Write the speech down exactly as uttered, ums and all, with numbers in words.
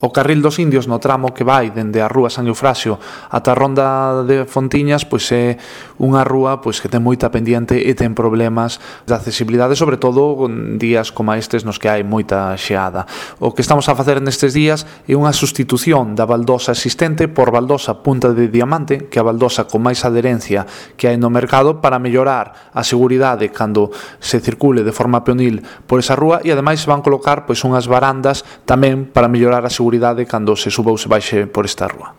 O carril dos indios no tramo que vai dende a rúa San Eufrasio ata a ronda de Fontiñas pois é unha rúa pois que ten moita pendiente e ten problemas de accesibilidade, sobre todo en días como estes nos que hai moita xeada. O que estamos a facer nestes días é unha sustitución da baldosa existente por baldosa punta de diamante, que é a baldosa con máis adherencia que hai no mercado, para mellorar a seguridade cando se circule de forma peonil por esa rúa, e ademais se van colocar pois unhas barandas tamén para mellorar a seguridade cando se suba ou se baixe por esta rúa.